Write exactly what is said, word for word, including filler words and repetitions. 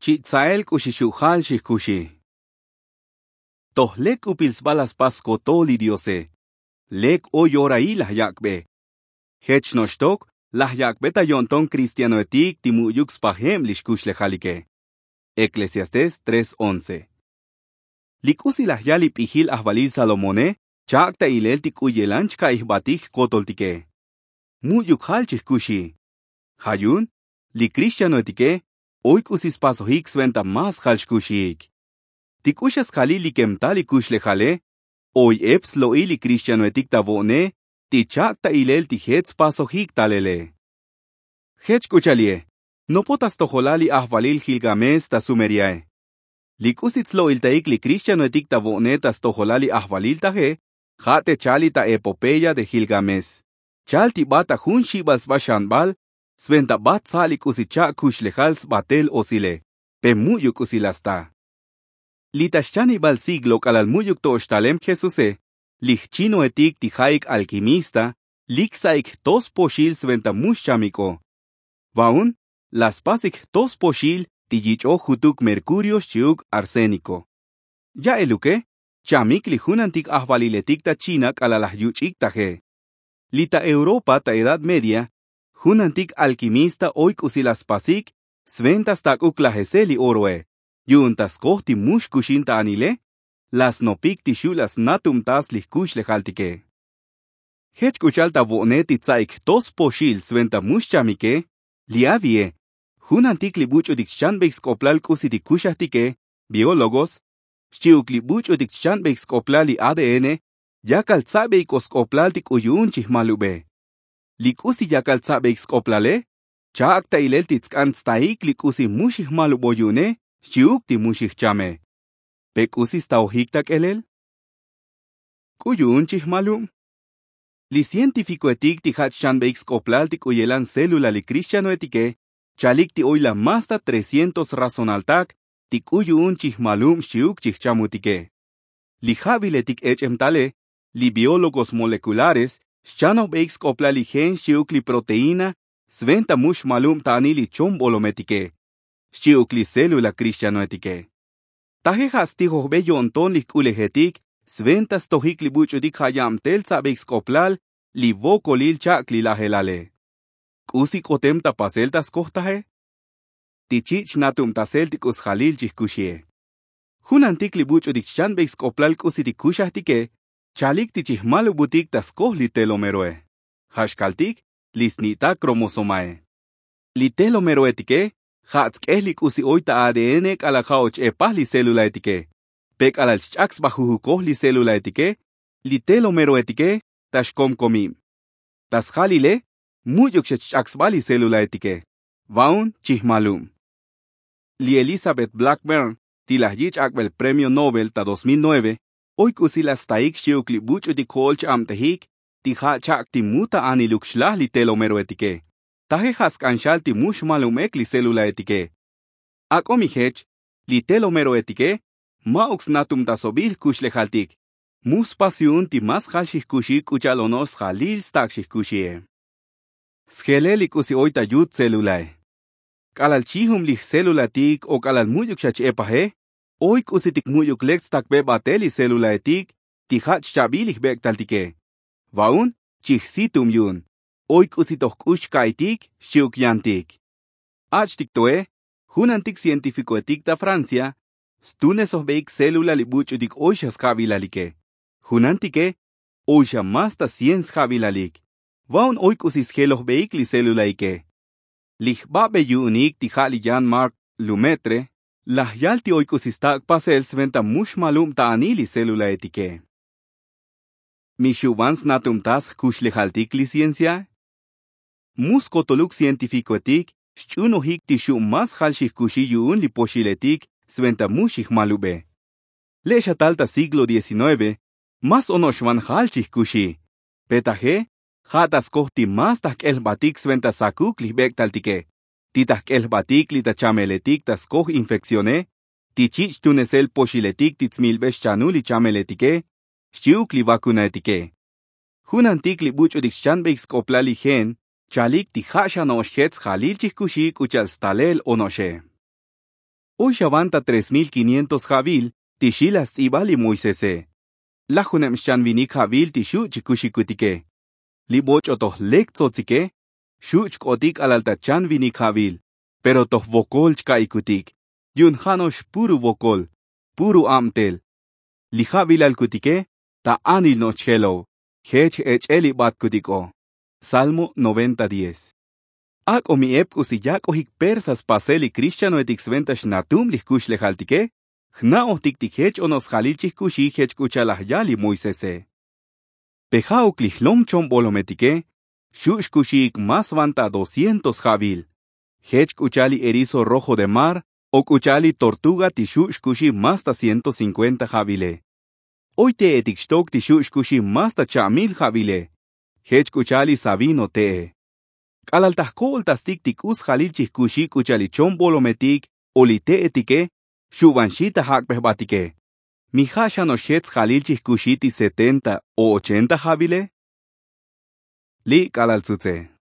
Chi' tsa'el k'uxi xu' jal xijkuxi. Toj lek k'upil sba la spas skotol li diose. Lek oy orail laj yak'be. Jech no'ox tok laj yak'be ta yo'nton kristianoetik ti mu'yuk spajeb li xkuxlejalike. Eklesiastés tres once. Li k'usi laj yal li p'ijil ajvalil salomone chak' ta ilel ti k'u yelan chka'i jbatik jkotoltike. Mu'yuk jal chijkuxi. Ja' yu'un li krixtianoetike oy k'usi spasojik sventa más jal xkuxiik. Ti k'u xa sjalil li kem tal li kuxlejale oy ep slo'il li krixtianoetik ta vo'ne ti chak' ta ilel ti jech spasojik talele. Jech k'u cha'al ye nopot ta stojolal li ajvalil jilgamés ta sumeriae. Li k'usi tslo'iltaik li krixtianoetik ta vo'ne ta stojolal li ajvalil taje ja' te chal li ta epopeya de jilgamés. Chal ti bat ta jun xibal sba xanbal sventa bat tsa' li k'usi chak' kuxlejal sbatel osile pe mu'yuk k'usi la sta. Li ta xchanibal siglo k'alal mu'yuk to'ox talem jesuse li jchinoetik ti ja'ik alkimista lik sa'ik jto spoxil sventa mu xchamik'o. Va'un la spasik jto spoxil ti yich'oj jutuk merkurio xchi'uk arséniko. Ya'eluke chamik li junantik ajvaliletik ta china k'alal laj yuch'ik taje. Li ta europa ta edad media junantik alkimista oy k'usi la spasik sventa stak'uk lajese li oroe yu'un ta skoj ti mu xkuxin ta anile la snopik ti xu' la snatubtas li jkuxlejaltike. Jech k'u cha'al ta vo'ne ti tsa'ik jto spoxil sventa mu xchamike. Li avie junantik li buch'utik xchanbeik sk'oplal k'usi ti kuxajtike biólogos xchi'uk li buch'utik xchanbeik sk'oplal li adn yakal tsa'beik'o sk'oplal ti k'u yu'un chijmalube. Li k'usi yakal tsa'beik sk'oplale chak' ta ilel ti tsk'an tstaik li k'usi mu xijmalubo yu'une xchi'uk ti mu xijchame. Pe k'usi staojik ta k'elel? K'u yu'un chijmalub. Li cientifikoetik ti ja' chchanbeik sk'oplal ti k'u yelan célula li krixtianoetike chalik ti oy la más ta trescientos razonaltak ti k'u yu'un chijmalub xchi'uk chijchamutike. Li ja'viletik ech'em tale li biólogos molekulares xchanojbeik sk'oplal li gen xchi'uk li proteína sventa mu xmalub ta anil li chombolometike xchi'uk li célula krixtianoetike. Taje ja' stijojbe yo'nton li jk'ulejetik sventa stojik li buch'utik ja' yabtel tsa'beik sk'oplal li vokolil chak' li lajelale. K'usi k'otem ta pasel ta skoj taje? Ti chich' natubtasel ti k'u sjalil chijkuxie. Junantik li buch'utik xchanbeik sk'oplal k'usi ti kuxajtike chalik ti chijmalubutik ta skoj li telomeroe ja' xkaltik li sni'tak kromosomae. Li telomeroetike ja' tsk'ej li k'usi oy ta adn k'alal ja' och epaj li célulaetike. Pe k'alal chch'ak sba jujukoj li célulaetike li telomeroetike ta xkomkomib. Ta sjalile mu'yuk xa chch'ak sba li célulaetike. Va'un chijmalub. Li elizabeth blackburn ti laj yich' ak'bel premio nobel ta dos mil nueve oy k'usi la staik xchi'uk li buch'utik jo'ol ch-abtejik ti ja' chak' ti mu ta aniluk xlaj li telomeroetike. Taje ja' sk'an xal ti mu xmalubek li célulaetike. Ak'o mi jech li telomeroetike ma'uk snatubtasobil jkuxlejaltik. Mu spas yu'un ti más jal xijkuxi k'u cha'al ono'ox sjalil stak' xijkuxie. Sjelel li k'usi oy ta yut célulae. K'alal chijub li jcélulaetik o k'alal mu'yuk xa ch-epaje oy k'usitik mu'yuk lek tstakbe batel li célulaetik ti ja' chchabil li jbek'taltike. Va'un chijsitub yu'un oy k'usi toj k'ux chka'itik xchi'uk yantik. Ach'tik toe junantik cientifikoetik ta francia stunesojbeik célula li buch'utik oy xa sja'vilalike. Junantike oy xa más ta cien sja'vilalik. Va'un oy k'usi sjelojbeik li célulaike. Li jbabe yu'unik ti ja' li yan mark lumetre laj yal ti oy k'usi stak' pasel sventa mu xmalub ta anil li célulaetike. Mi xu' van snatubtas jkuxlejaltik li cienciae? Mu skotoluk cientifikoetik xch'unojik ti xu' más jal xijkuxi yu'un li poxiletik sventa mu xijmalube. Le' xa tal ta siglo diecinueve más ono'ox van jal chijkuxi. Pe taje ja' ta skoj ti más ta jk'el jbatik sventa sakuk li jbek'taltike ti ta jk'el jbatik li ta chameletik ta skoj infekcione ti chich' tunesel poxiletik ti tsmilbe xchanul li chameletike xchi'uk li vakunaetike. Junantik li buch'utik xchanbeik sk'oplal li gen chalik ti ja' xa no'ox jech sjalil chijkuxi k'u cha'al stalel ono'oxe. Oy xavan ta tres mil kinientos ja'vil ti xi laj sts'ibal li moisese. Lajuneb xchanvinik ja'vil ti xu' chikuxikutike. Li boch'o toj lek tzotzike xu' chk'otik k'alal ta chanvinik ja'vil, pero toj vokol chka'ikutik. Yu'un ja' no'ox puru vokol, puru abtel. Li ja'vilal kutike ta anil no'ox chjelo'o. Jech ech'el li batkutiko. Salmo noventa diez. Ak'o mi ep k'usi yak'ojik persas pasel li krixtianoetik sventa xnatum li jkuxlejaltike. Jna'ojtik ti jech ono'ox sjalil chijkuxi jech k'u cha'al laj yal li moisese. Pe ja'uk li jlom chombolometike xu' xkuxiik más van ta doscientos ja'vil. Jech k'u cha'al li erizo rojo de mar o k'u cha'al li tortuga ti xu' xkuxi más ta ciento cinkuenta ja'vile. Oy te'etik xtok ti xu' xkuxi más ta cha'mil ja'vile. Jech k'u cha'al li savino te'e. K'alal ta jko'oltastik ti k'u sjalil chijkuxi k'u cha'al li chombolometik o li te'etike xu' van xi ta jak'be jbatike. Mi ja' xano'ox jech sjalil chijkuxi ti setenta o ochenta ja'vile? Li' k'alal tzutze.